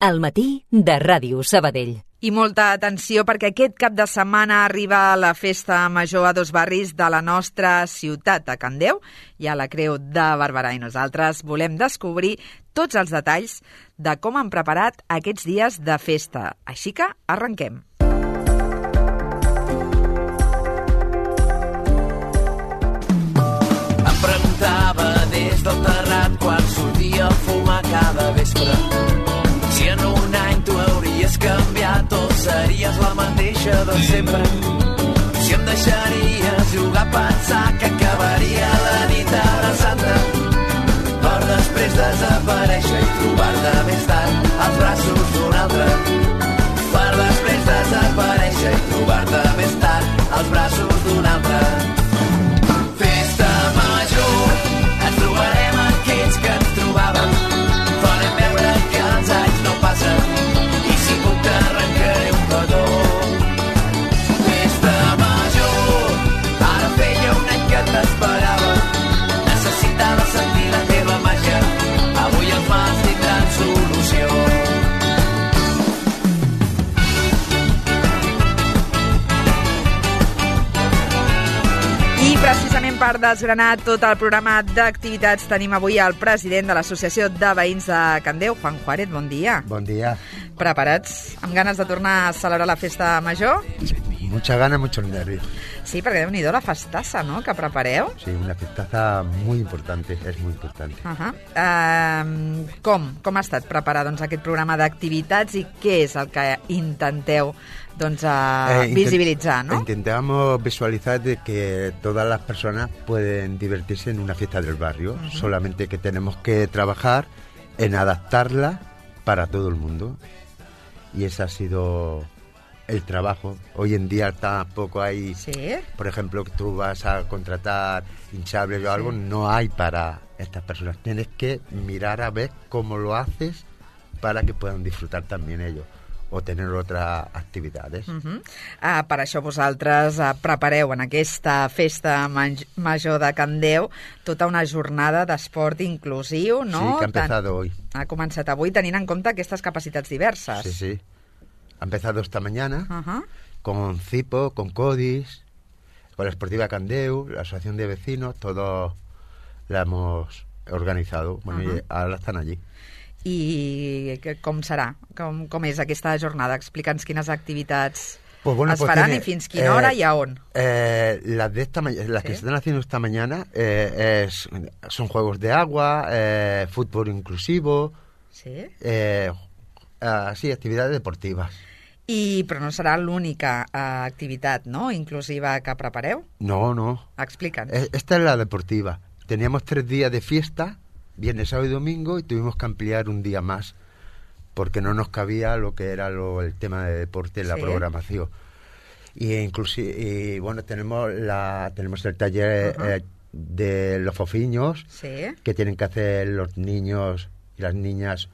Al matí de Ràdio Sabadell. I molta atenció perquè aquest cap de setmana arriba la festa major a dos barris de la nostra ciutat, a Can Déu i a la Creu de Barberà. I nosaltres volem descobrir tots els detalls de com han preparat aquests dies de festa. Així que arrenquem. Em preguntava des del terrat quan sortia a fumar cada vespre si en un any tu hauries canviat o series la mateixa de sempre. Si em deixaries jugar a pensar que acabaria la nit abraçant-te per després desaparèixer i trobar-te més tard als braços d'un altre. Per després desaparèixer i trobar-te més tard als braços d'un altre. Festa major, ens trobarem aquells que ens trobàvem. Farem veure que els anys no passen i si puc t'arrencaré un petó. Festa major, ara feia un any que t'esperava. Necessitava sentir la teva màgia, avui els mals tindran solució. I precisament per desgranar tot el programa d'activitats tenim avui el president de l'Associació de Veïns de Can Déu, Juan Juárez, bon dia. Bon dia. Preparats? Amb ganes de tornar a celebrar la festa major? Mucha gana, muchos nervios. Sí, perquè déu-n'hi-do la festassa, no?, que prepareu. Sí, una festaza muy importante, es muy importante. Com ha estat preparar doncs, aquest programa d'activitats i què és el que intenteu visibilitzar, ¿no? Intentamos visualizar de que todas las personas pueden divertirse en una fiesta del barrio, solamente que tenemos que trabajar en adaptarla para todo el mundo. Y ese ha sido el trabajo. Hoy en día tampoco hay, ¿sí? Por ejemplo, que tú vas a contratar hinchables o algo, no hay para estas personas. Tienes que mirar a ver cómo lo haces para que puedan disfrutar también ellos o tener otras actividades. Per això vosaltres prepareu en aquesta festa major de Can Déu tota una jornada d'esport inclusiu, no? Sí, que ha empezado hoy. Ha començat avui tenint en compte aquestes capacitats diverses. Sí, sí. Ha empezado esta mañana con CIPO, con CODIS, con la Esportiva Can Déu, la Asociación de Vecinos, todos la hemos organizado. Bueno, y ahora están allí. I com serà? Com és aquesta jornada? Explica'ns quines activitats pues faran i fins quina hora i a on. Las que se están haciendo esta mañana son juegos de agua, fútbol inclusivo, sí, actividades deportivas. Però no serà l'única activitat, no?, inclusiva que prepareu? No. Explica'ns. Esta es la deportiva. Teníamos 3 días de fiesta, viernes, sábado y domingo, y tuvimos que ampliar un día más porque no nos cabía lo que era el tema de deporte en la programación. Y bueno, tenemos el taller de los fofiños, sí, que tienen que hacer los niños y las niñas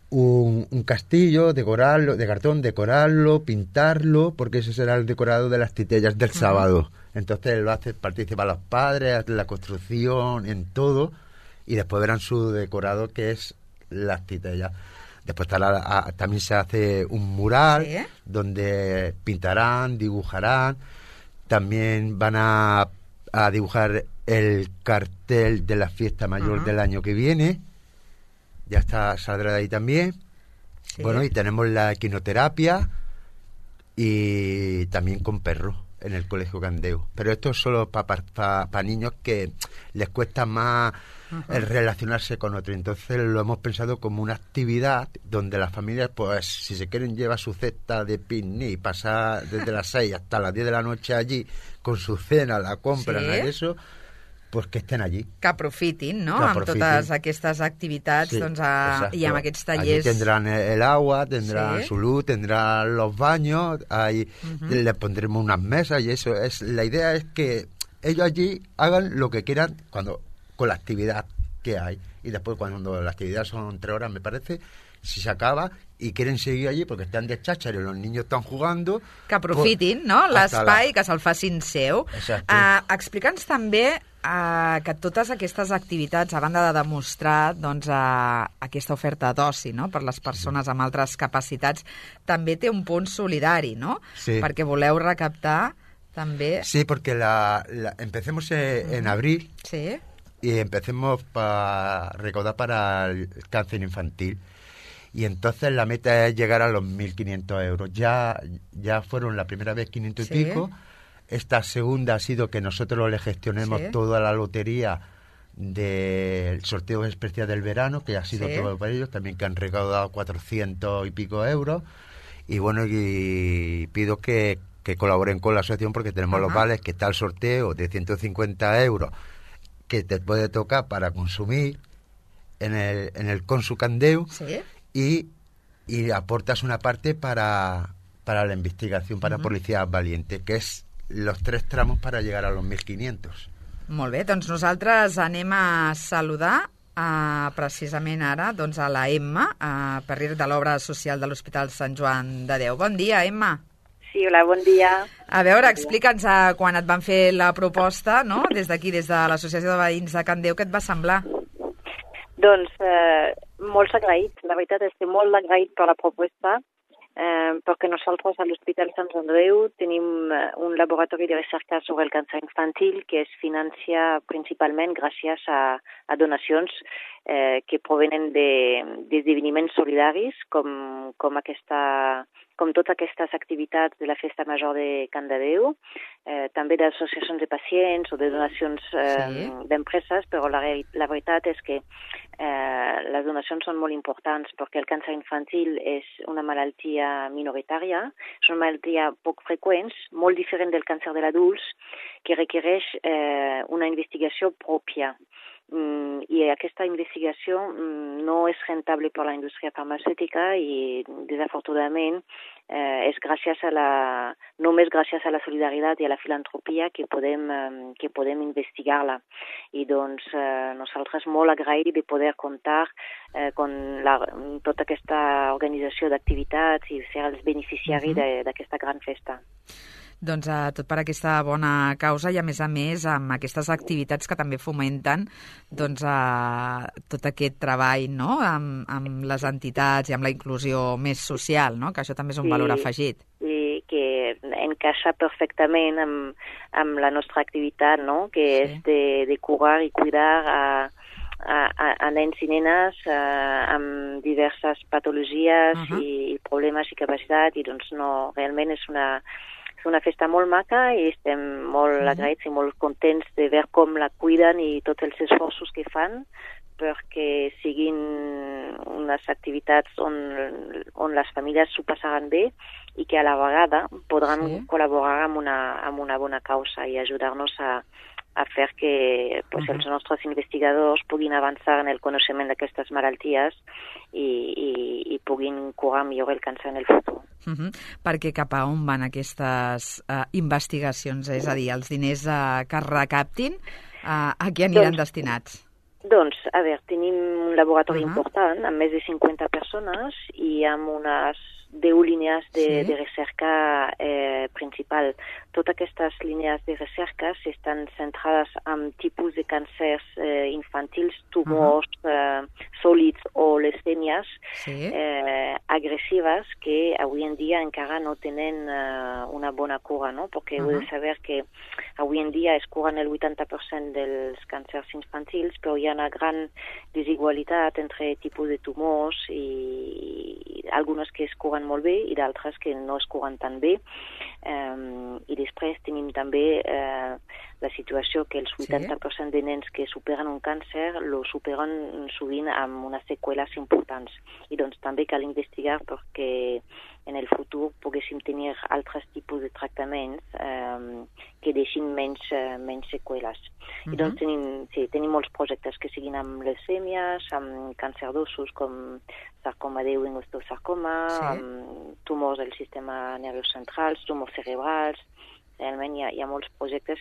un castillo, decorarlo, de cartón, decorarlo, pintarlo, porque ese será el decorado de las titellas del sábado. Entonces lo hace, participan los padres, hacen la construcción, en todo. Y después verán su decorado, que es las titellas. Después también se hace un mural, ¿sí?, donde pintarán, dibujarán. También van a dibujar el cartel de la fiesta mayor del año que viene. Ya saldrá de ahí también. Sí. Bueno, y tenemos la equinoterapia y también con perros en el Colegio Can Déu. Pero esto es solo para niños que les cuesta más el relacionarse con otro. Entonces lo hemos pensado como una actividad donde las familias, pues si se quieren llevar su cesta de picnic, pasar desde las 6 hasta las 10 de la noche allí con su cena, la compran, ¿sí?, eso, pues que estén allí. Que aprofitin, no?, amb totes aquestes activitats, sí, doncs, i amb aquests tallers. Allí tendrán el agua, tendrán, ¿sí?, su luz, tendrán los baños, ahí les pondremos unas mesas y eso es. La idea es que ellos allí hagan lo que quieran con la actividad que hay. Y después, cuando la actividad son 3 horas, me parece, si se acaba y quieren seguir allí porque están de cháchara y los niños están jugando... Que aprofitin, no?, l'espai, que se'l facin seu. Exacte. Explica'ns també que totes aquestes activitats, a banda de demostrar doncs, aquesta oferta d'oci, no?, per les persones amb altres capacitats, també té un punt solidari, no? Sí. Perquè voleu recaptar també... Sí, porque empecemos en abril. Sí. Y empecemos a recaudar para el cáncer infantil. Y entonces la meta es llegar a los 1.500 euros. Ya fueron la primera vez 500 y pico. Esta segunda ha sido que nosotros le gestionemos toda la lotería del sorteo especial del verano, que ha sido todo para ellos, también que han recaudado 400 y pico euros. Y bueno, y pido que colaboren con la asociación porque tenemos los vales, que está el sorteo de 150 euros que te puede tocar para consumir en el Consu Candeu. Sí. Y aportas una parte para la investigación, para Policía Valiente, que és los 3 tramos para llegar a los 1.500. Molt bé, doncs nosaltres anem a saludar precisament ara doncs a la Emma, per dir de l'obra social de l'Hospital Sant Joan de Déu. Bon dia, Emma. Sí, hola, bon dia. A veure, explica'ns quan et van fer la proposta, no?, des d'aquí, des de l'Associació de Veïns de Can Déu, què et va semblar? Doncs molt agraït, la veritat és que molt agraït per la proposta, perquè nosaltres a l'Hospital Sant Joan de Déu tenim un laboratori de recerca sobre el càncer infantil que es financia principalment gràcies a donacions que provenen d'esdeveniments solidaris com totes aquestes activitats de la Festa Major de Can de Déu, també d'associacions de pacients o de donacions d'empreses, però la veritat és que les donacions són molt importants perquè el càncer infantil és una malaltia minoritària, és una malaltia poc freqüent, molt diferent del càncer de l'adults, que requereix una investigació pròpia. I aquesta investigació no és rentable per la indústria farmacèutica i, desafortunadament, és només gràcies a la solidaritat i a la filantropia que podem investigar-la. I doncs nosaltres molt agraïts de poder comptar amb tota aquesta organització d'activitats i ser els beneficiaris d'aquesta gran festa. Doncs tot per aquesta bona causa i, a més, amb aquestes activitats que també fomenten doncs, tot aquest treball, no?, amb les entitats i amb la inclusió més social, no?, que això també és un valor afegit. I que encaixa perfectament amb la nostra activitat, no?, que és de curar i cuidar a nens i nenes amb diverses patologies i problemes i capacitat, i doncs no, realment és una festa molt maca i estem molt agraïts i molt contents de veure com la cuiden i tots els esforços que fan perquè siguin unes activitats on les famílies s'ho passaran bé i que a la vegada podran col·laborar amb una bona causa i ajudar-nos a fer que els nostres investigadors puguin avançar en el coneixement d'aquestes malalties i puguin curar millor el càncer en el futur. Perquè cap a on van aquestes investigacions? És a dir, els diners que es recaptin, a què aniran destinats? Doncs, a veure, tenim un laboratori important amb més de 50 persones i amb unes 10 línies de recerca principal. Totes aquestes línies de recerca estan centrades en tipus de càncers infantils, tumors sòlids o leucèmies agressives que avui en dia encara no tenen una bona cura, no? Perquè heu de saber que avui en dia es curen el 80% dels càncers infantils, però hi ha una gran desigualtat entre tipus de tumors i algunes que es curen molt bé i d'altres que no es curen tan bé. I després tenim també la situació que els 80% de nens que superen un càncer lo superen sovint amb unes seqüeles importants. I doncs també cal investigar perquè en el futur poguéssim tenir altres tipus de tractaments que deixin menys seqüeles. I doncs tenim molts projectes que siguin amb leucèmies, amb càncer d'ossos com sarcoma de Ewing, osteosarcoma, amb tumors del sistema nerviós central, tumors cerebrals. Realment hi ha molts projectes,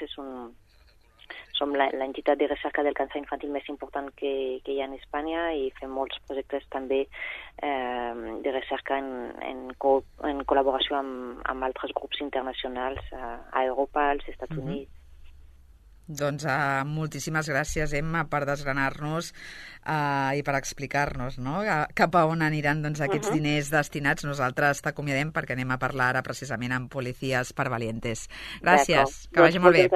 som l'entitat de recerca del càncer infantil més important que hi ha en Espanya i fem molts projectes també de recerca en col·laboració amb altres grups internacionals a Europa, als Estats Units. Doncs moltíssimes gràcies, Emma, per desgranar-nos i per explicar-nos, no?, cap a on aniran aquests diners destinats. Nosaltres t'acomiadem perquè anem a parlar ara precisament amb Policías per Valientes. Gràcies, que vagi molt bé.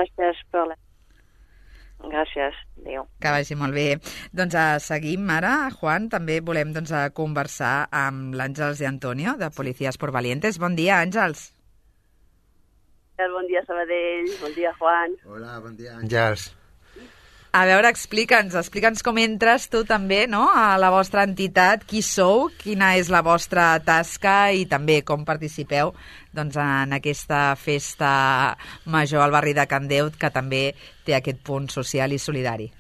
Gràcies, adéu. Que vagi molt bé. Doncs seguim ara, Juan. També volem conversar amb l'Àngels de Antonio, de Policías por Valientes. Bon dia, Àngels. Bon dia, Sabadell. Bon dia, Juan. Hola, bon dia, Àngels. A veure, explica'ns com entres tu també, no?, a la vostra entitat, qui sou, quina és la vostra tasca i també com participeu en aquesta festa major al barri de Can Déu, que també té aquest punt social i solidari.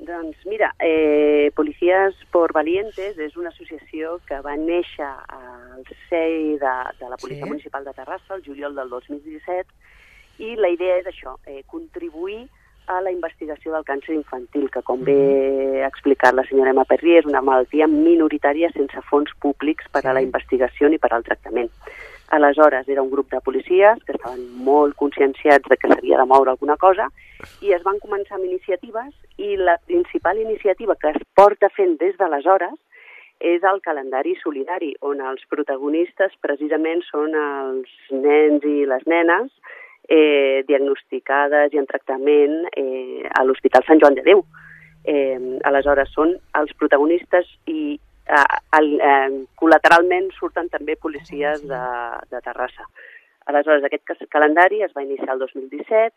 Doncs mira, Policías por Valientes és una associació que va néixer al CEI de la Policia Municipal de Terrassa el juliol del 2017 i la idea és això, contribuir a la investigació del càncer infantil, que com bé ha explicat la senyora Emma Perrier, és una malaltia minoritària sense fons públics per a la investigació ni per al tractament. Aleshores, era un grup de policies que estaven molt conscienciats de que s'havia de moure alguna cosa i es van començar amb iniciatives i la principal iniciativa que es porta fent des d'aleshores és el calendari solidari, on els protagonistes precisament són els nens i les nenes diagnosticades i en tractament a l'Hospital Sant Joan de Déu. Aleshores, són els protagonistes i col·lateralment surten també policies de Terrassa. Aleshores, aquest calendari es va iniciar el 2017,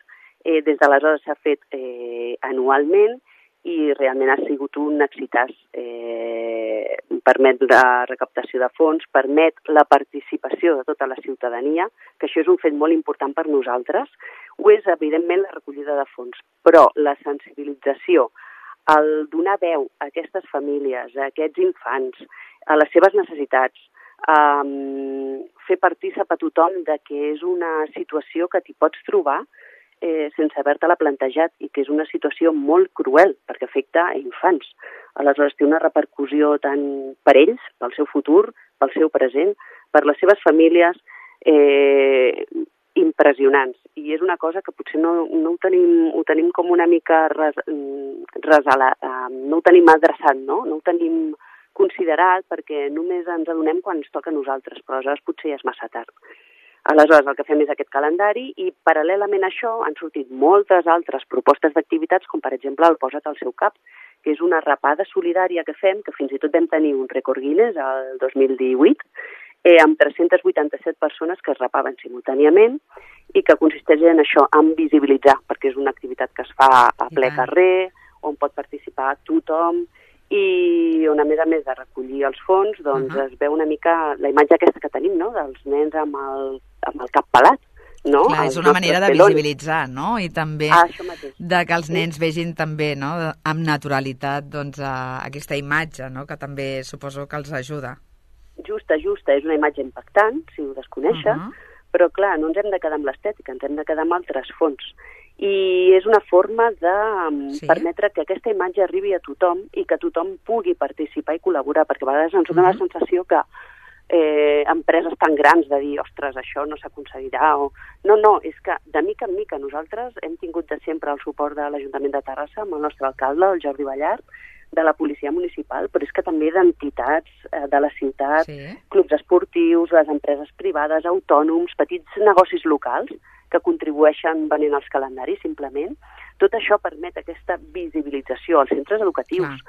des d'aleshores s'ha fet anualment i realment ha sigut un excitàs. Permet la recaptació de fons, permet la participació de tota la ciutadania, que això és un fet molt important per nosaltres. Ho és, evidentment, la recollida de fons, però la sensibilització, el donar veu a aquestes famílies, a aquests infants, a les seves necessitats, fer partícip a tothom de que és una situació que t'hi pots trobar sense haver-te-la plantejat i que és una situació molt cruel perquè afecta a infants. Aleshores té una repercussió tant per ells, pel seu futur, pel seu present, per les seves famílies, impressionants. I és una cosa que potser no ho tenim com una mica no ho tenim adreçat, no ho tenim considerat perquè només ens adonem quan ens toca a nosaltres, però aleshores potser ja és massa tard. Aleshores, el que fem és aquest calendari i, paral·lelament a això, han sortit moltes altres propostes d'activitats, com per exemple el Posa't al seu cap, que és una rapada solidària que fem, que fins i tot vam tenir un rècord Guinness el 2018, amb 387 persones que es rapaven simultàniament i que consisteix en això, en visibilitzar, perquè és una activitat que es fa a ple carrer, on pot participar tothom, i on, a més de recollir els fons, doncs es veu una mica la imatge aquesta que tenim, no?, dels nens amb el cap pelat, no? Clar, és una manera de visibilitzar, no?, i també de que els nens vegin també, no?, amb naturalitat, doncs, aquesta imatge, no?, que també suposo que els ajuda. Justa, és una imatge impactant, si ho desconeixen, però clar, no ens hem de quedar amb l'estètica, ens hem de quedar amb altres fons. I és una forma de permetre que aquesta imatge arribi a tothom i que tothom pugui participar i col·laborar, perquè a vegades ens dona la sensació que empreses tan grans de dir, ostres, això no s'aconseguirà, o... No, és que de mica en mica nosaltres hem tingut de sempre el suport de l'Ajuntament de Terrassa, amb el nostre alcalde, el Jordi Ballart, de la policia municipal, però és que també d'entitats de la ciutat, clubs esportius, les empreses privades, autònoms, petits negocis locals, que contribueixen venent els calendaris, simplement. Tot això permet aquesta visibilització als centres educatius.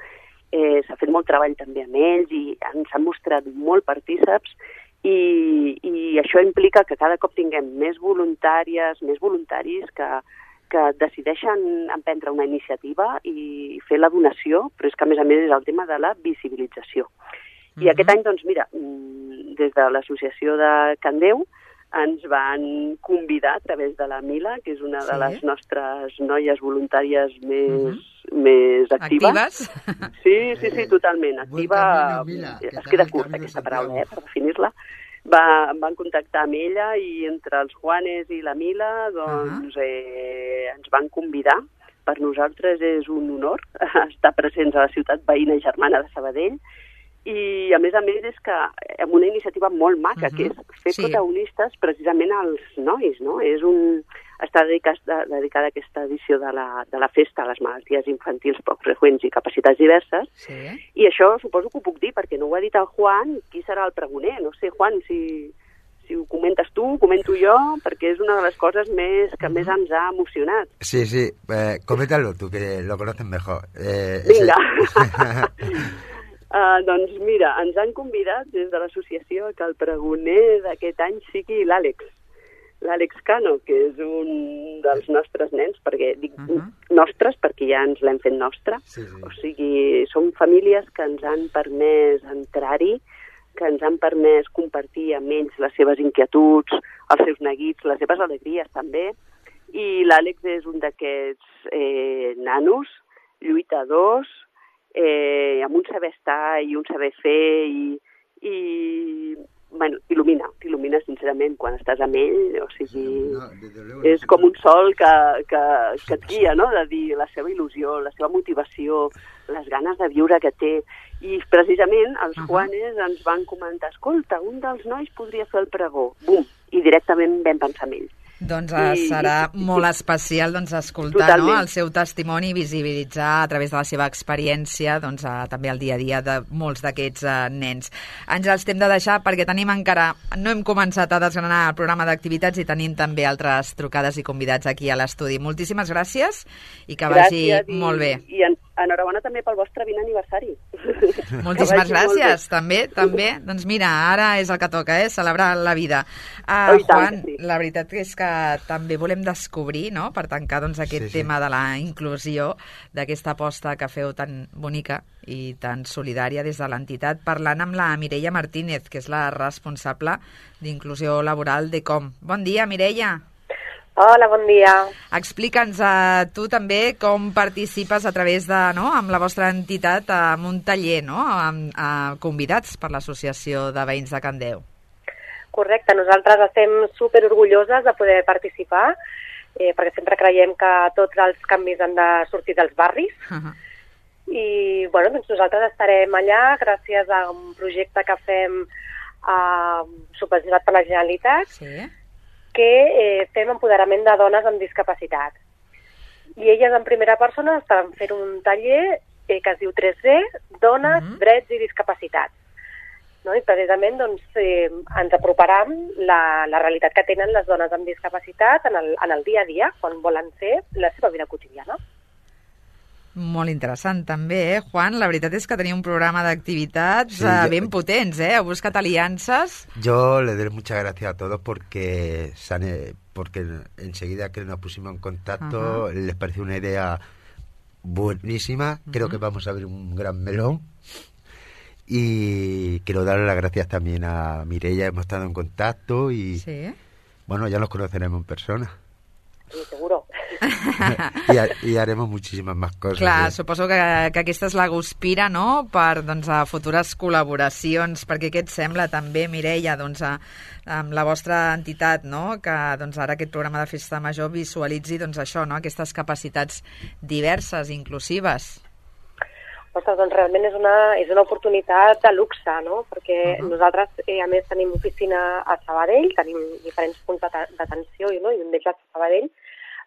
S'ha fet molt treball també amb ells i ens han mostrat molt partíceps i això implica que cada cop tinguem més voluntàries, més voluntaris que decideixen emprendre una iniciativa i fer la donació, però és que a més és el tema de la visibilització. I aquest any, doncs mira, des de l'associació de Can Déu, ens van convidar a través de la Mila, que és una de les nostres noies voluntàries més actives. Sí, totalment. Activa, es queda curta aquesta paraula, per definir-la. van contactar amb ella i entre els Juanes i la Mila doncs, ens van convidar. Per nosaltres és un honor estar presents a la ciutat veïna i germana de Sabadell i, a més, és que amb una iniciativa molt maca, que és fer protagonistes precisament als nois, no? Està dedicada a aquesta edició de la festa a les malalties infantils poc freqüents i capacitats diverses, i això suposo que ho puc dir, perquè no ho ha dit el Juan, qui serà el pregoner? No sé, Juan, si ho comentes tu, ho comento jo, perquè és una de les coses que més ens ha emocionat. Sí, coméntalo tú, que lo conoces mejor. Vinga. Doncs mira, ens han convidat des de l'associació que el pregoner d'aquest any sigui l'Àlex Cano, que és un dels nostres nens, perquè dic nostres perquè ja ens l'hem fet nostre. O sigui, són famílies que ens han permès entrar-hi, que ens han permès compartir amb ells les seves inquietuds, els seus neguits, les seves alegries també. I l'Àlex és un d'aquests nanos, lluitadors, amb un saber estar i un saber fer i t'il·lumina sincerament quan estàs amb ell, o sigui, és com un sol que et guia, no?, de dir la seva il·lusió, la seva motivació, les ganes de viure que té. I precisament els Juanes ens van comentar, escolta, un dels nois podria fer el pregó. Bum! I directament vam pensar en ell. Doncs serà molt especial escoltar el seu testimoni i visibilitzar a través de la seva experiència també el dia a dia de molts d'aquests nens. Ens els hem de deixar perquè no hem començat a desgranar el programa d'activitats i tenim també altres trucades i convidats aquí a l'estudi. Moltíssimes gràcies i que vagi molt bé. I enhorabona també pel vostre 20 aniversari. Moltíssimes gràcies, també. Doncs mira, ara és el que toca, celebrar la vida. Juan, la veritat és que també volem descobrir, no?, per tancar aquest tema de la inclusió, d'aquesta aposta que feu tan bonica i tan solidària des de l'entitat, parlant amb la Mireia Martínez, que és la responsable d'inclusió laboral d'ECOM. Bon dia, Mireia. Hola, bon dia. Explica'ns tu també com participes a través de, amb la vostra entitat, en un taller, amb convidats per l'Associació de Veïns de Can Deu. Correcte, nosaltres estem superorgulloses de poder participar, perquè sempre creiem que tots els canvis han de sortir dels barris. I doncs nosaltres estarem allà gràcies a un projecte que fem subvencionat per la Generalitat, que fem empoderament de dones amb discapacitat. I elles en primera persona estan fent un taller que es diu 3D, Dones, Drets i Discapacitats. I precisament ens aproparam la realitat que tenen les dones amb discapacitat en el dia a dia, quan volen fer la seva vida quotidiana. Molt interessant també, Juan. La veritat és que tenia un programa d'activitats ben potents, Heu buscat alianzas. Yo le doy muchas gracias a todos porque enseguida que nos pusimos en contacto les pareció una idea buenísima. Creo que vamos a abrir un gran melón. Y quiero darle las gracias también a Mireia, hemos estado en contacto y ya nos conoceremos en persona. Sí, seguro. I haremos muchísimas más coses. Clar, suposo que aquesta és la guspira, no?, per a futures col·laboracions, perquè què et sembla també, Mireia, amb la vostra entitat, no?, que ara aquest programa de Festa Major visualitzi això, no?, aquestes capacitats diverses, inclusives. Ostres, doncs realment és una oportunitat de luxe, no?, perquè nosaltres, a més, tenim oficina a Sabadell, tenim diferents punts d'atenció, i un d'ells a Sabadell.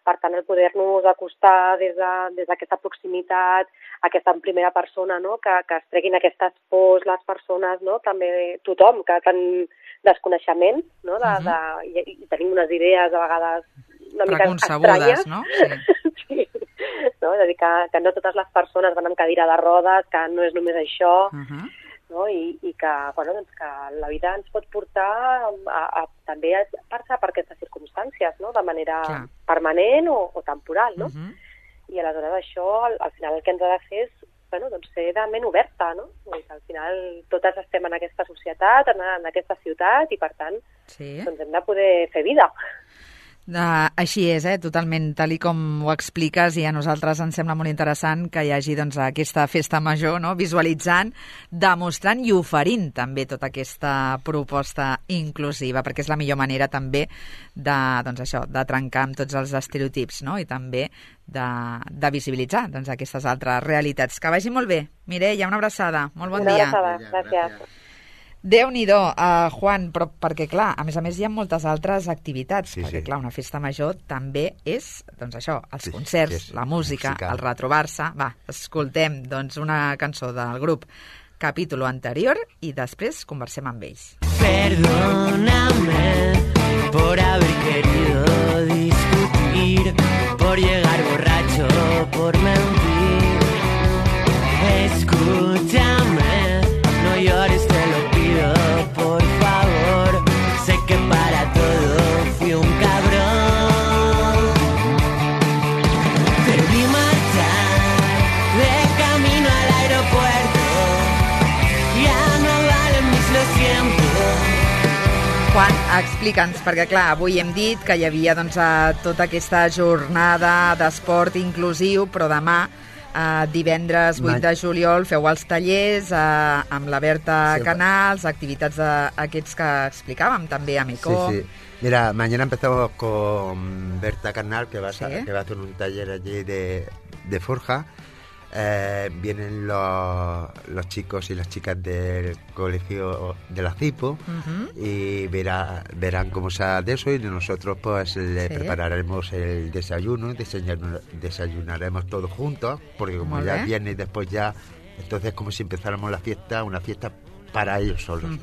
Per tant, el poder-nos acostar des d'aquesta proximitat, aquesta en primera persona, no?, que es treguin aquestes pors les persones, no?, també tothom, que tan desconeixement, no?, i tenim unes idees a vegades una mica estranyes. No? Sí. No? És a dir, que no totes les persones van amb cadira de rodes, que no és només això, no? I que la vida ens pot portar també a passar per aquestes circumstàncies, no?, de manera permanent o temporal, no? I aleshores això, al final, el que ens ha de fer és ser de ment oberta, no? Al final, totes estem en aquesta societat, en aquesta ciutat, i per tant, hem de poder fer vida. Així és, totalment, tal i com ho expliques, i a nosaltres ens sembla molt interessant que hi hagi doncs, aquesta festa major, no? Visualitzant, demostrant i oferint també tota aquesta proposta inclusiva, perquè és la millor manera també de, doncs això, de trencar amb tots els estereotips, no? I també de visibilitzar doncs, aquestes altres realitats. Que vagi molt bé. Mireia, una abraçada. Molt bon dia. Una abraçada, gràcies. Déu-n'hi-do, Juan, però perquè, clar, a més hi ha moltes altres activitats, perquè, clar, una festa major també és, doncs això, els concerts, la música, el retrobar-se. Va, escoltem, doncs, una cançó del grup Capítulo Anterior i després conversem amb ells. Perdóname por haber querido discutir, por llegar borracho, por mentir. Escúchame, no llores, te lo pido, por favor. Sé que para todo fui un cabrón. Te vi marchar de camino al aeropuerto. Ya no valen mis lo siento. Juan, explica'ns, perquè clar, avui hem dit que hi havia doncs, tota aquesta jornada d'esport inclusiu, però demà, divendres 8 de juliol, feu els tallers amb la Berta Canals, activitats d'aquests que explicàvem també a Mecó. Sí. Mira, mañana empezamos con Berta Canal, que va a hacer un taller allí de forja. Vienen los chicos y las chicas del colegio de la CIPO y verán cómo se hace eso, y nosotros pues le prepararemos el desayuno, desayunaremos todos juntos, porque como ya viene y después ya, entonces como si empezáramos una fiesta para ellos solos.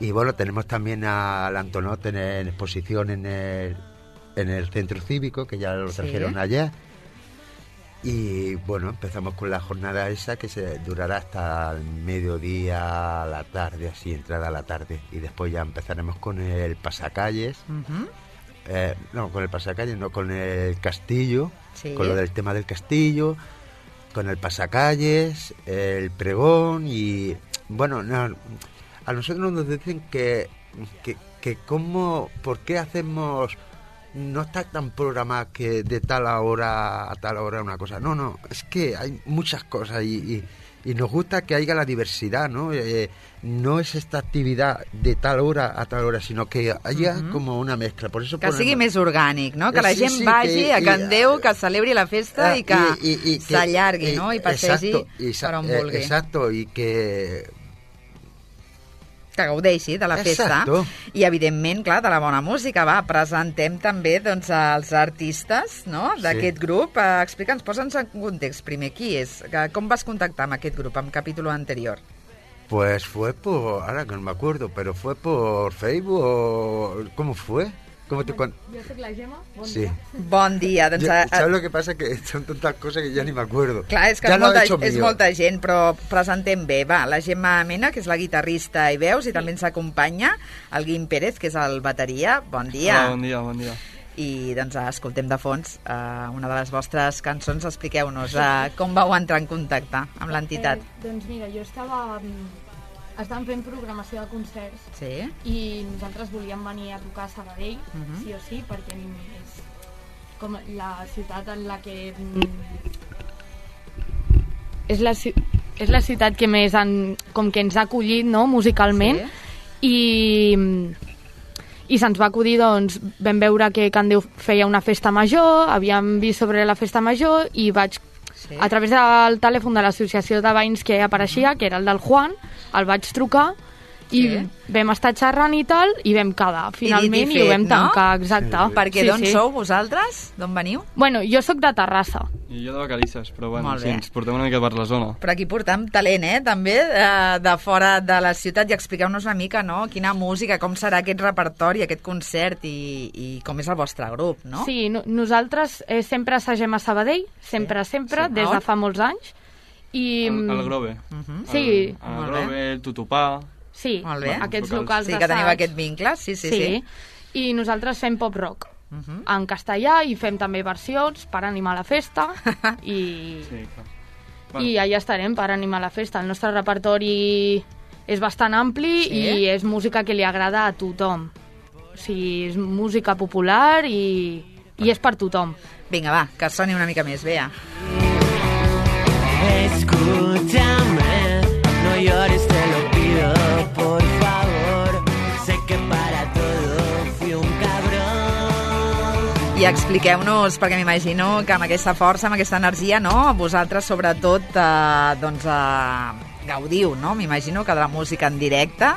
Y bueno, tenemos también al Antonot en exposición en el centro cívico, que ya lo trajeron ayer. Y bueno, empezamos con la jornada esa que se durará hasta el mediodía, a la tarde, así, entrada a la tarde. Y después ya empezaremos con el pasacalles. Con el pasacalles, no, con el castillo, con lo del tema del castillo, con el pasacalles, el pregón y... Bueno, no, a nosotros nos dicen que ¿por qué hacemos... No está tan programado que de tal hora a tal hora una cosa. No, es que hay muchas cosas y nos gusta que haya la diversidad, ¿no? No es esta actividad de tal hora a tal hora, sino que haya como una mezcla. Por eso que sigui més orgànic, no? Que la gent vagi a Can Déu, que celebri la festa i que s'allargui, no? I passegi per on vulgui. Exacto, i que gaudeixi de la festa. I, evidentment, clar, de la bona música. Va, presentem també doncs, els artistes, no?, d'aquest grup. Explica'ns, posa'ns en context primer. Qui és? Com vas contactar amb aquest grup, amb Capítulo Anterior? Pues fue ahora que no me acuerdo, pero fue por Facebook o... ¿Cómo fue? Jo soc la Gemma, bon dia. Bon dia. Doncs, ¿Sabes lo que pasa? Que son tantas cosas que ya ni me acuerdo. Clar, és que és molta gent, però presentem bé. Va, la Gemma Mena, que és la guitarrista i veus, i també ens acompanya el Guim Pérez, que és el bateria. Bon dia. Bon dia. I doncs escoltem de fons una de les vostres cançons. Expliqueu-nos com vau entrar en contacte amb l'entitat. Doncs mira, jo estàvem fent programació de concerts i nosaltres volíem venir a tocar a Sabadell, sí o sí, perquè és com la ciutat en la que... És la ciutat que més com que ens ha acollit, no?, musicalment, i se'ns va acudir, doncs, vam veure que Can Déu feia una festa major, havíem vist sobre la festa major i vaig... A través del telèfon de l'associació de veïns que apareixia, que era el del Juan, el vaig trucar i vam estar xerrant i tal, i vam quedar finalment i ho vam tancar, exacte. Perquè d'on sou vosaltres? D'on veniu? Bueno, jo sóc de Terrassa. I jo de Vacarisses, però bueno, sí, ens portem una mica per la zona. Però aquí portem talent, també, de fora de la ciutat, i expliqueu-nos una mica, no?, quina música, com serà aquest repertori, aquest concert, i com és el vostre grup, no? Sí, nosaltres sempre assagem a Sabadell, sempre, des de fa molts anys. El Grove. Sí. El Grove, el Tutupà... Sí, aquests locals d'assaig. Sí, que teniu aquest vincle, sí. I nosaltres fem pop-rock en castellà i fem també versions per animar la festa i allà estarem per animar la festa. El nostre repertori és bastant ampli i és música que li agrada a tothom. sigui, és música popular i és per tothom. Vinga, va, que soni una mica més, Bea. Escúchame, no llores, te lo pido, por favor. Sé que para todo fui un cabrón. I expliqueu-nos, perquè m'imagino que amb aquesta força, amb aquesta energia, no? Vosaltres, sobretot, gaudiu, no? M'imagino que de la música en directe.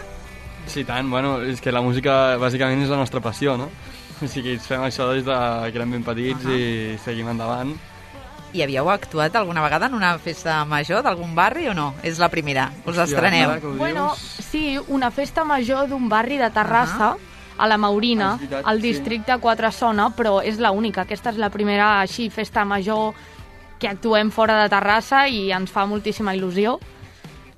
Sí, tant. Bueno, és que la música, bàsicament, és la nostra passió, no? O sigui, fem això des que érem ben petits i seguim endavant. I havíeu actuat alguna vegada en una festa major d'algun barri o no? És la primera, us estreneu. Bueno, sí, una festa major d'un barri de Terrassa, a la Maurina, al districte 4 Sona, però és l'única. Aquesta és la primera així festa major que actuem fora de Terrassa i ens fa moltíssima il·lusió.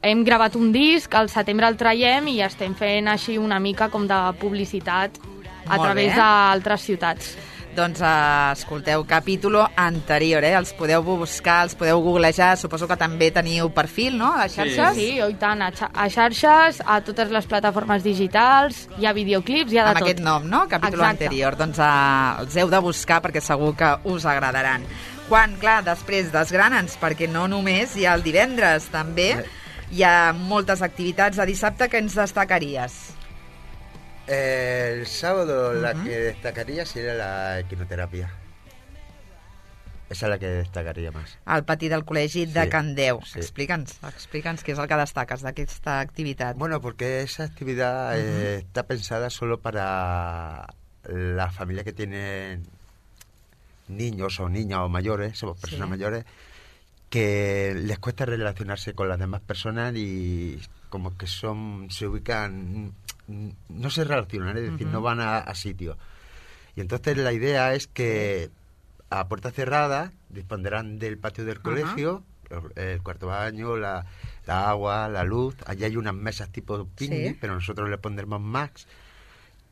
Hem gravat un disc, al setembre el traiem i estem fent així una mica com de publicitat a través d'altres ciutats. Doncs escolteu, capítol anterior, els podeu buscar, els podeu googlejar, suposo que també teniu perfil, no?, a xarxes? Sí, i tant, a xarxes, a totes les plataformes digitals, hi ha videoclips, hi ha de tot. Amb aquest nom, no?, capítol anterior. Doncs els heu de buscar perquè segur que us agradaran. Quan, clar, després desgrana'ns, perquè no només hi ha el divendres, també hi ha moltes activitats de dissabte que ens destacaries. El sábado la que destacaría sería la equinoterapia. Esa es la que destacaría más. Al pati del col·legi de Candeu. Sí. Explica'ns què és el que destaques d'aquesta activitat. Bueno, porque esa actividad está pensada solo para la familia que tiene niños o niñas o mayores, somos personas mayores, que les cuesta relacionarse con las demás personas y como que se ubican, no se relacionan, es decir, no van a sitio. Y entonces la idea es que a puerta cerrada dispondrán del patio del colegio, el cuarto baño, la agua, la luz. Allí hay unas mesas tipo picnic, pero nosotros le pondremos más,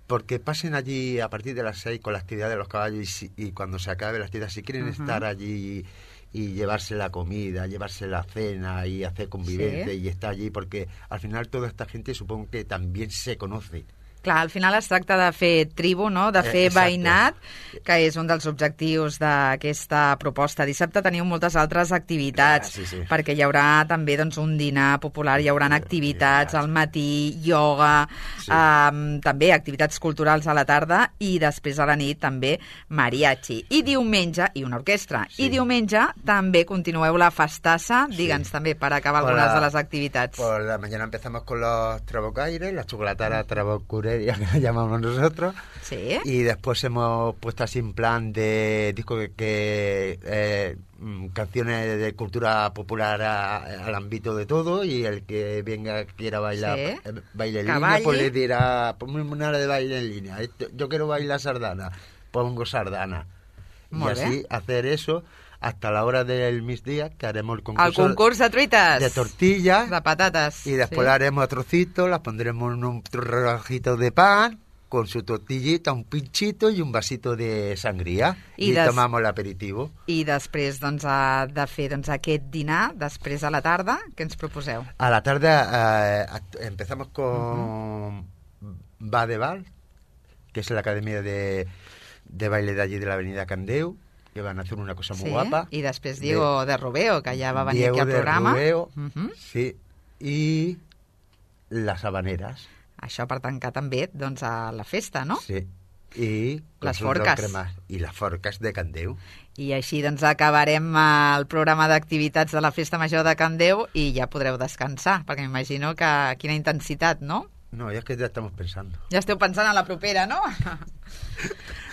porque pasen allí a partir de las 6 con la actividad de los caballos y cuando se acabe la actividad, si quieren estar allí y llevarse la comida, llevarse la cena y hacer convivencia y estar allí, porque al final toda esta gente supongo que también se conoce. Clar, al final es tracta de fer tribu, no?, de fer veïnat, que és un dels objectius d'aquesta proposta. Dissabte teniu moltes altres activitats, perquè hi haurà també doncs, un dinar popular, hi haurà activitats al matí, ioga, també activitats culturals a la tarda i després a la nit també mariachi. I diumenge, i una orquestra, i diumenge també continueu la festassa, digue'ns també, per acabar algunes de les activitats. Por la mañana empezamos con los trabucaires, la chocolatara trabucure, que la llamamos nosotros, y después hemos puesto así en plan de disco canciones de cultura popular al ámbito de todo, y el que venga quiera bailar baile en línea, pues le dirá, ponme una de baile en línea, yo quiero bailar sardana, pongo sardana. Y así hacer eso hasta la hora del migdia, que haremos el concurso de truites, de tortillas, de patatas, y después haremos a trocitos, las pondremos en un relojito de pan con su tortillita, un pinchito y un vasito de sangría, y tomamos el aperitivo. I després doncs, de fer aquest dinar, després a la tarda, què ens proposeu? A la tarde empezamos con Badeval, que es la academia de baile de allí de la avenida Candeu, que van a hacer una cosa muy guapa. I després Diego de Rubeo, que ja va venir aquí al programa. Diego de Rubeo, sí. I les habaneres. Això per tancar també doncs, a la festa, no? Sí. I les forques. I les forques de Candeu. I així doncs acabarem el programa d'activitats de la Festa Major de Candeu i ja podreu descansar, perquè m'imagino que quina intensitat, no? No, ja és que ja estem pensant. Ja esteu pensant en la propera, no?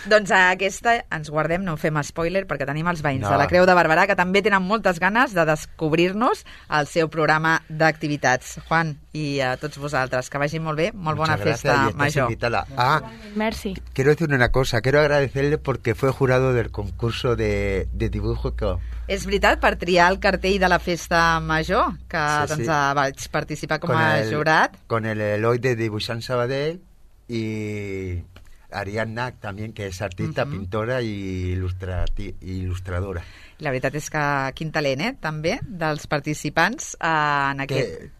Doncs aquesta ens guardem, no en fem spoiler, perquè tenim els veïns de la Creu de Barberà que també tenen moltes ganes de descobrir-nos el seu programa d'activitats. Juan, i a tots vosaltres, que vagi molt bé, molt bona festa major. Merci. Quiero decir una cosa, quiero agradecerle porque fue jurado del concurso de dibujo que... És veritat, per triar el cartell de la festa major, que vaig participar com a jurat. Con el Eloi de Dibuixant Sabadell y Ariadna también, que es artista, pintora y ilustradora. La veritat és que quin talent, també, dels participants en aquest...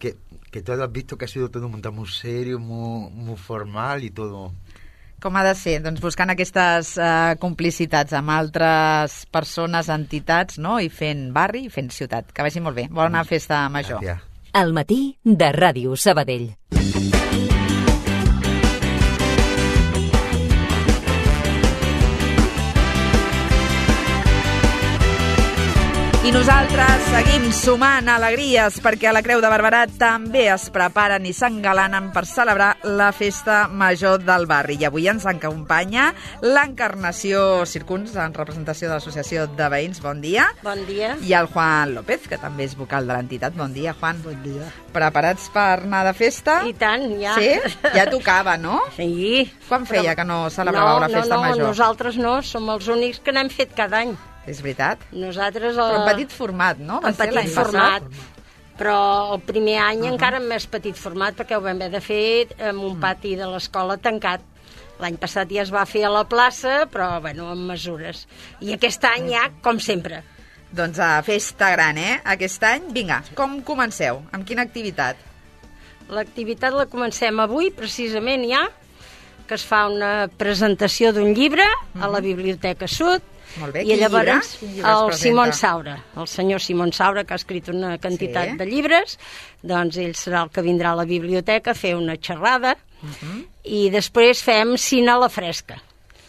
Que todo has visto que ha sido todo montado muy serio, muy formal y todo... Com ha de ser? Doncs buscant aquestes complicitats amb altres persones, entitats, no? I fent barri i fent ciutat. Que vagi molt bé. Bona festa major. Gràcies. Al matí de Ràdio Sabadell. I nosaltres seguim sumant alegries perquè a la Creu de Barberà també es preparen i s'engalanen per celebrar la festa major del barri. I avui ens acompanya l'Encarnació Circuns, en representació de l'Associació de Veïns. Bon dia. Bon dia. I el Juan López, que també és vocal de l'entitat. Bon dia, Juan. Bon dia. Preparats per anar de festa? I tant, ja. Sí? Ja tocava, no? Sí. Quan feia que no celebràveu la festa major? No, nosaltres no, som els únics que n'hem fet cada any. És veritat? Nosaltres... Però en petit format, no? En petit format. Però el primer any encara en més petit format, perquè ho vam haver de fer en un pati de l'escola tancat. L'any passat ja es va fer a la plaça, però, bueno, amb mesures. I aquest any ja, com sempre. Doncs a festa gran, Aquest any, vinga, com comenceu? Amb quina activitat? L'activitat la comencem avui, precisament ja, que es fa una presentació d'un llibre a la Biblioteca Sud. Molt bé, i llavors el Simon Saura. Saura, el senyor Simon Saura, que ha escrit una quantitat de llibres, doncs ell serà el que vindrà a la biblioteca a fer una xerrada i després fem cine a la fresca.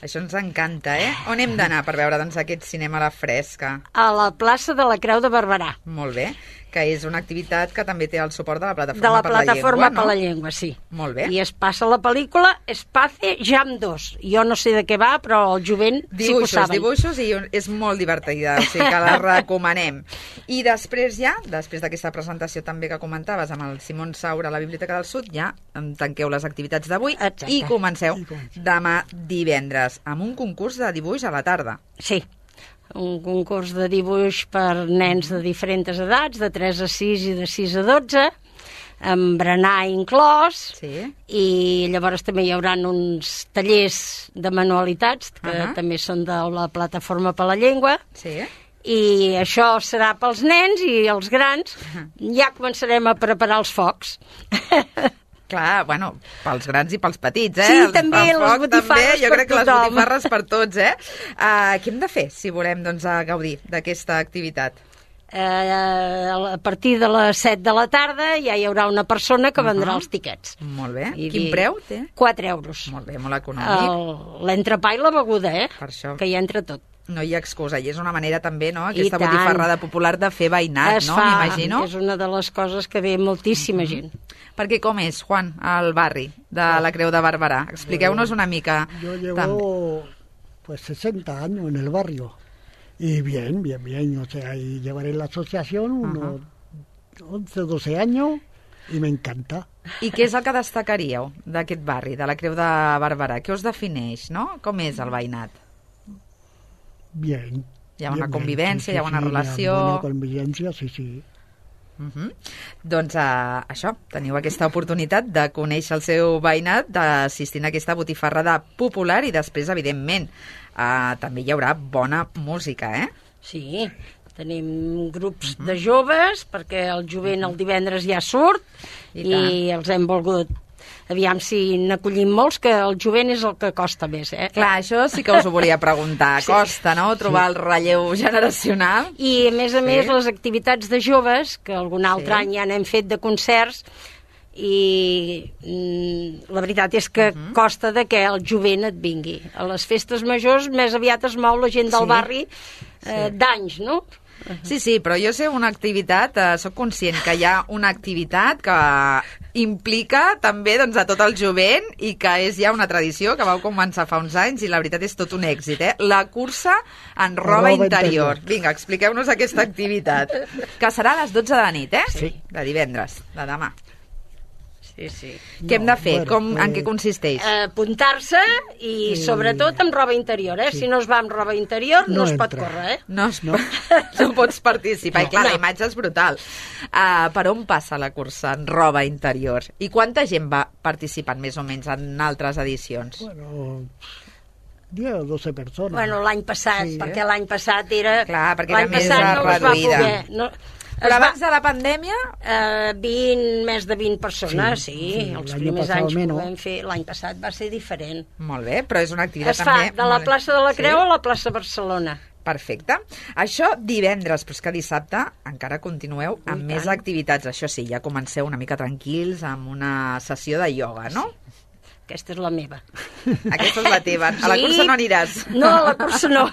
Això ens encanta, On hem d'anar per veure doncs, aquest cinema a la fresca? A la plaça de la Creu de Barberà. Molt bé, que és una activitat que també té el suport de la Plataforma per la Llengua. De la Plataforma per la no? Llengua, sí. Molt bé. I es passa la pel·lícula Espace Jam 2. Jo no sé de què va, però el jovent sí que ho saben. Dibuixos, i és molt divertida, o sigui que la recomanem. I després ja, després d'aquesta presentació també que comentaves amb el Simon Saura a la Biblioteca del Sud, ja tanqueu les activitats d'avui i comenceu demà divendres amb un concurs de dibuix a la tarda. Sí. Un concurs de dibuix per nens de diferents edats, de 3 a 6 i de 6 a 12, amb berenar inclòs, i llavors també hi haurà uns tallers de manualitats, que també són de la Plataforma per la Llengua, i això serà pels nens i els grans. Ja començarem a preparar els focs. Clar, bueno, pels grans i pels petits, Sí, també, les botifarres jo crec que per les botifarres per tots, Què hem de fer si volem doncs, gaudir d'aquesta activitat? A partir de les 7 de la tarda ja hi haurà una persona que vendrà els tiquets. Molt bé. Quin preu té? 4 euros. Molt bé, molt econòmic. L'entrepà i la beguda, Per això. Que hi entra tot. No hi ha excusa, i és una manera també, no?, aquesta botifarrada popular de fer veïnat, no?, m'imagino. És una de les coses que ve moltíssima gent. Perquè com és, Juan, el barri de la Creu de Barberà? Expliqueu-nos una mica. Yo llevo pues 60 años en el barrio y bien, o sea, y llevaré la asociación unos 11, 12 años y me encanta. I què és el que destacaríeu d'aquest barri, de la Creu de Barberà? Què us defineix, no? Com és el veïnat? Bien. Hi ha una convivència, hi ha una relació... Hi ha una convivència, sí. Doncs això, teniu aquesta oportunitat de conèixer el seu veïnat, d'assistir a aquesta botifarrada popular i després, evidentment, també hi haurà bona música, Sí, tenim grups de joves, perquè el jovent el divendres ja surt i els hem volgut... Aviam si n'acollim molts, que el jovent és el que costa més, Clar, això sí que us ho volia preguntar. Costa, no?, trobar el relleu generacional. I, a més, les activitats de joves, que algun altre any ja n'hem fet de concerts, i la veritat és que costa de que el jovent et vingui. A les festes majors més aviat es mou la gent del barri d'anys, no? Sí, però jo sé una activitat, sóc conscient que hi ha una activitat que implica també doncs, a tot el jovent i que és ja una tradició que vau començar fa uns anys i la veritat és tot un èxit, La cursa en roba interior. Vinga, expliqueu-nos aquesta activitat, que serà a les 12 de la nit, Sí. De divendres, de demà. Sí. Què hem de fer? En què consisteix? Apuntar-se i sobretot amb roba interior, Si no es va amb roba interior no es pot córrer, No pots participar. I clar, la imatge és brutal. Per on passa la cursa en roba interior? I quanta gent va participant més o menys en altres edicions? Bueno, 10 o 12 persones. Bueno, l'any passat, perquè l'any passat era... Clar, perquè era més reduïda. Però abans de la pandèmia? 20, més de 20 persones, sí. Els primers anys que ho vam fer, l'any passat va ser diferent. Molt bé, però és una activitat també... també... Es fa de la plaça de la Creu a la plaça Barcelona. Perfecte. Això divendres, però és que dissabte encara continueu amb més activitats. Això sí, ja comenceu una mica tranquils amb una sessió de ioga, no? Aquesta és la meva. Aquesta és la teva. A la cursa no aniràs. No, a la cursa no.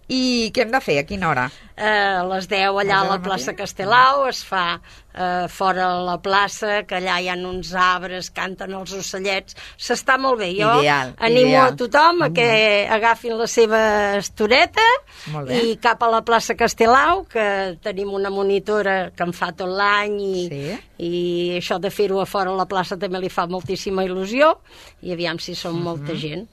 I què hem de fer? A quina hora? A les 10 allà a la plaça Castelau, es fa fora a la plaça, que allà hi ha uns arbres, canten els ocellets, s'està molt bé. Jo animo a tothom a que agafin la seva estoreta i cap a la plaça Castelau, que tenim una monitora que en fa tot l'any i això de fer-ho a fora a la plaça també li fa moltíssima il·lusió i aviam si som molta gent.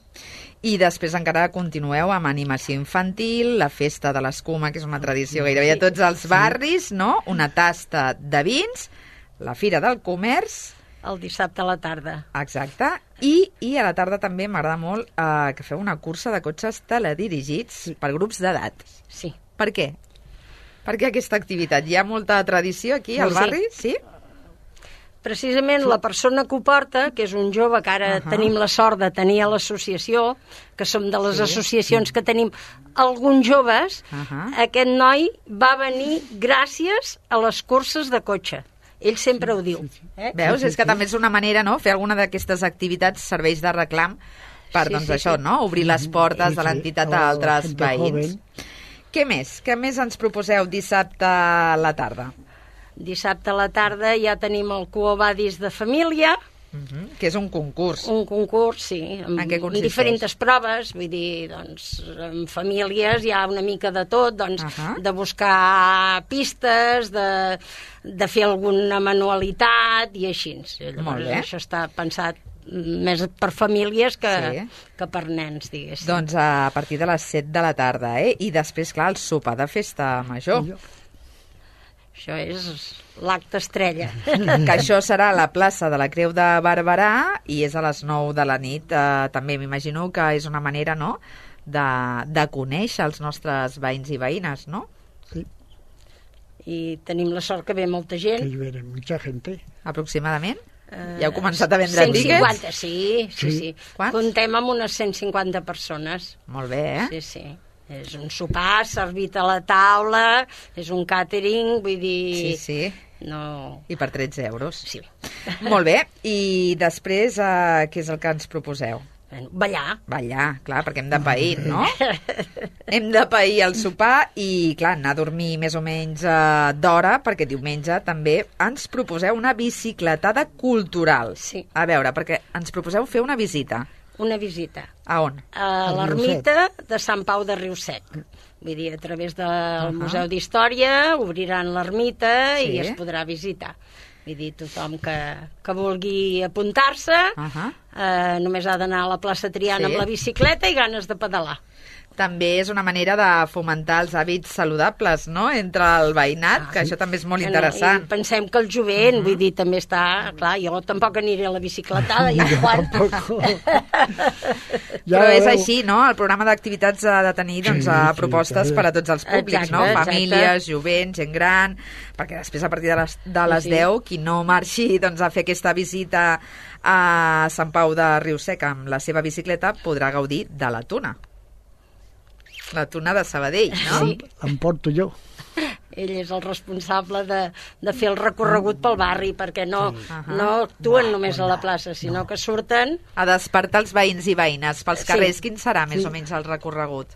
I després encara continueu amb animació infantil, la festa de l'escuma, que és una tradició gairebé a tots els barris, no? Una tasta de vins, la Fira del Comerç... El dissabte a la tarda. Exacte. I a la tarda també m'agrada molt que feu una cursa de cotxes teledirigits per grups d'edat. Sí. Per què? Per què aquesta activitat? Hi ha molta tradició aquí al barri? Sí? Precisament la persona que ho porta, que és un jove que ara tenim la sort de tenir a l'associació, que som de les associacions que tenim alguns joves, aquest noi va venir gràcies a les curses de cotxe. Ell sempre ho diu. Veus? És que també és una manera, no?, fer alguna d'aquestes activites serveis de reclam per, doncs això, no?, obrir les portes de l'entitat a altres veïns. Què més? Què més ens proposeu dissabte a la tarda? Dissabte a la tarda ja tenim el Quo Vadis de família. Que és un concurs. Un concurs, sí. En què consisteix? Diferents proves, vull dir, doncs, en famílies hi ha una mica de tot, doncs, de buscar pistes, de fer alguna manualitat i així. Llavors, això està pensat més per famílies que per nens, diguéssim. Doncs a partir de les 7 de la tarda, I després, clar, el sopar de festa major. Això és l'acte estrella. Que això serà a la plaça de la Creu de Barberà i és a les 9 de la nit. També m'imagino que és una manera, no?, de conèixer els nostres veïns i veïnes, no? Sí. I tenim la sort que ve molta gent. Que hi ve mucha gente. Aproximadament? Ja heu començat a vendre 150, tíquets? sí. Comptem amb unes 150 persones. Molt bé, Sí. És un sopar servit a la taula, és un càtering, vull dir... Sí. No... I per 13 euros. Sí. Molt bé. I després, què és el que ens proposeu? Ballar. Ballar, clar, perquè hem de pair, no? Hem de pair el sopar i, clar, anar a dormir més o menys d'hora, perquè diumenge també ens proposeu una bicicletada cultural. Sí. A veure, perquè ens proposeu fer una visita. Una visita. A on? A l'ermita de Sant Pau de Riusec. Vull dir, a través del Museu d'Història obriran l'ermita i es podrà visitar. Vull dir, tothom que vulgui apuntar-se només ha d'anar a la plaça Triana amb la bicicleta i ganes de pedalar. També és una manera de fomentar els hàbits saludables, no?, entre el veïnat, que això també és molt interessant. I pensem que el jovent, vull dir, també està... Clar, jo tampoc aniré a la bicicletada, ja quan... Però és així, no?, el programa d'activitats ha de tenir propostes per a tots els públics, no?, famílies, jovent, gent gran, perquè després a partir de les 10, qui no marxi a fer aquesta visita a Sant Pau de Riusec amb la seva bicicleta podrà gaudir de la tuna. La tuna de Sabadell, no? Sí. Em porto jo. Ell és el responsable de fer el recorregut pel barri, perquè no actuen només a la plaça, sinó que surten... A despertar els veïns i veïnes pels carrers. Quin serà més o menys el recorregut?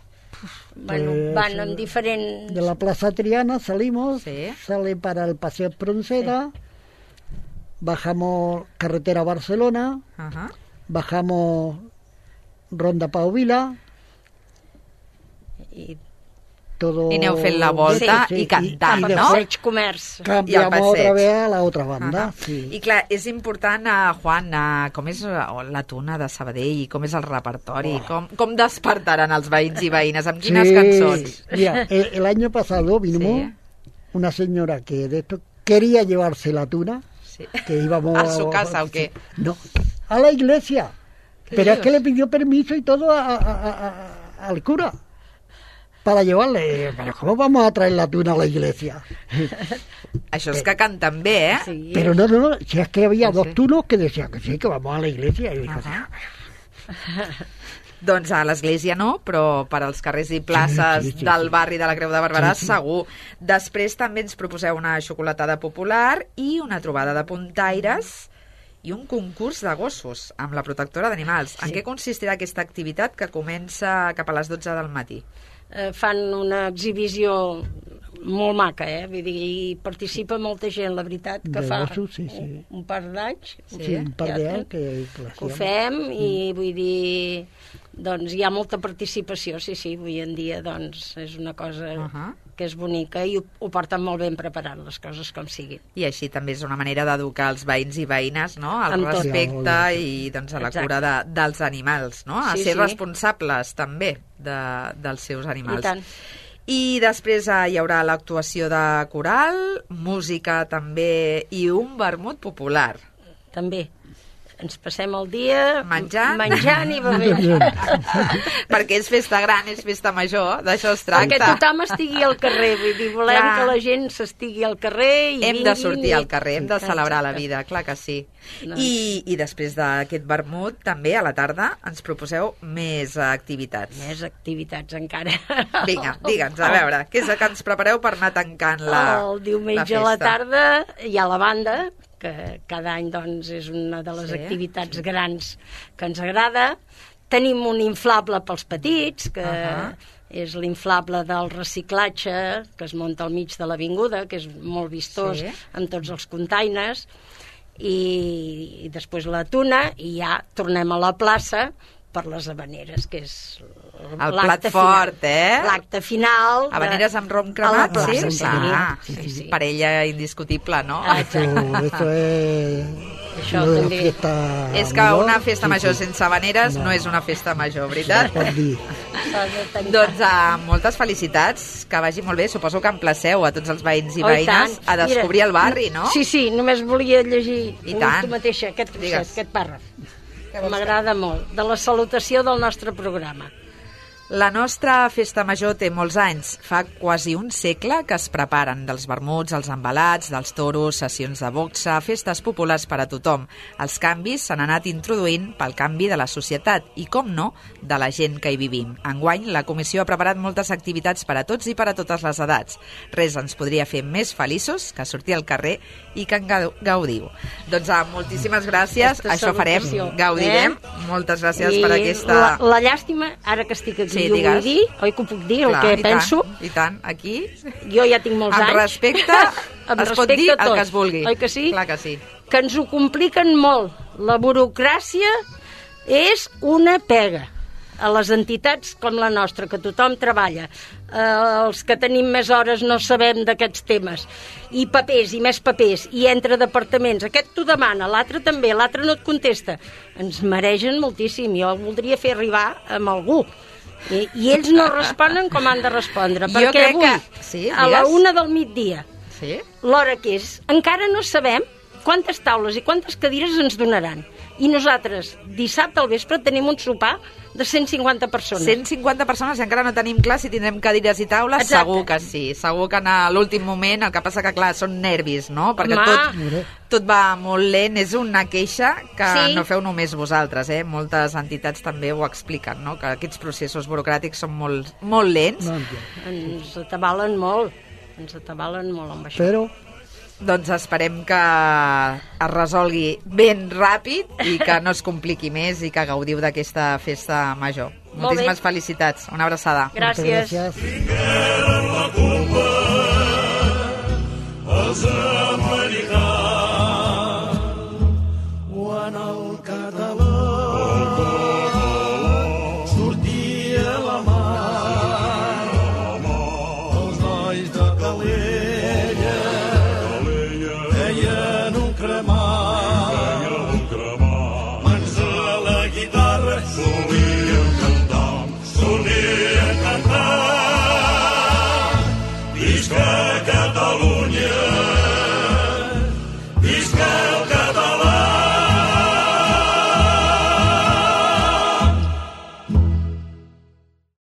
Bueno, van en diferent... De la plaza Triana salimos, sale para el Paseo Espronceda, bajamos carretera Barcelona, bajamos Ronda Pau Vila... I aneu fent la volta i cantant, no? Passeig Comerç. Cambiamos otra vez a la otra banda. I clar, és important, Juan, com és la tuna de Sabadell, com és el repertori, com despertaran els veïns i veïnes, amb quines cançons? Mira, el año pasado vino una señora que de esto quería llevarse la tuna, que íbamos ¿A su casa o qué? No, a la iglesia. Pero es que le pidió permiso y todo al cura. para llevarle. Pero ¿cómo vamos a traer la tuna a la iglesia? Això és que canten bé, eh? Sí. Pero no, si es que había dos tunos que decían que sí, que vamos a la iglesia. Y dijo, Doncs a l'església no, però per als carrers i places del barri de la Creu de Barberà segur. Després també ens proposeu una xocolatada popular i una trobada de puntaires i un concurs de gossos amb la protectora d'animals. En què consistirà aquesta activitat que comença cap a les 12 del matí? Fan una exhibició molt maca, vull dir, hi participa molta gent, la veritat, que fa un par d'anys que ho fem i vull dir, doncs hi ha molta participació, sí, avui en dia doncs és una cosa que és bonica i ho porten molt ben preparat, les coses com siguin. I així també és una manera d'educar els veïns i veïnes, no?, al respecte i doncs a la cura dels animals, no?, a ser responsables també dels seus animals. I tant. I després hi haurà l'actuació de coral, música també i un vermut popular. També. Ens passem el dia menjant i bevent. Perquè és festa gran, és festa major, d'això es tracta. Perquè tothom estigui al carrer, vull dir, volem que la gent s'estigui al carrer i hem de sortir al carrer, hem de celebrar la vida, clar que sí. I després d'aquest vermut, també a la tarda ens proposeu més activitats. Més activitats encara. Vinga, digue'ns, a veure, què és el que ens prepareu per anar tancant la festa? El diumenge a la tarda hi ha la banda, que cada any doncs, és una de les activitats grans que ens agrada. Tenim un inflable pels petits, que és l'inflable del reciclatge, que es munta al mig de l'avinguda, que és molt vistós, amb tots els containers, i després la tuna, i ja tornem a la plaça per les habaneres, que és el plat fort, l'acte final. Habaneres amb rom cremat, sí. Parella indiscutible, no? Això és que una festa major sense habaneres no és una festa major, veritat? Doncs moltes felicitats, que vagi molt bé. Suposo que emplaceu a tots els veïns i veïnes a descobrir el barri, no? Sí, només volia llegir tu mateixa aquest pàrraf. M'agrada molt, de la salutació del nostre programa. La nostra festa major té molts anys. Fa quasi un segle que es preparen dels vermuts, els embalats, dels toros, sessions de boxa, festes populars per a tothom. Els canvis s'han anat introduint pel canvi de la societat i, com no, de la gent que hi vivim. Enguany, la comissió ha preparat moltes activitats per a tots i per a totes les edats. Res ens podria fer més feliços que sortir al carrer i que en gaudiu. Doncs moltíssimes gràcies, això farem, gaudirem. Moltes gràcies per aquesta... La llàstima, ara que estic aquí, ho vull dir, oi que ho puc dir, el que penso? I tant, aquí... Jo ja tinc molts anys. Amb respecte, es pot dir el que es vulgui. Oi que sí? Clar que sí. Que ens ho compliquen molt. La burocràcia és una pega a les entitats com la nostra, que tothom treballa. Els que tenim més hores no sabem d'aquests temes. I papers, i més papers, i entre departaments. Aquest t'ho demana, l'altre també, l'altre no et contesta. Ens maregen moltíssim. Jo voldria fer arribar amb algú. I ells no responen com han de respondre, perquè avui, a la 1 del migdia, l'hora que és, encara no sabem quantes taules i quantes cadires ens donaran. I nosaltres, dissabte al vespre, tenim un sopar de 150 persones. 150 persones i encara no tenim clar si tindrem cadires i taules. Exacte. Segur que sí. Segur que en l'últim moment, el que passa que, clar, són nervis, no? Perquè tot va molt lent. És una queixa que no feu només vosaltres, Moltes entitats també ho expliquen, no? Que aquests processos burocràtics són molt, molt lents. Ens atabalen molt. Amb això. Però... Doncs esperem que es resolgui ben ràpid i que no es compliqui més i que gaudiu d'aquesta festa major. Moltíssimes felicitats. Una abraçada. Gràcies.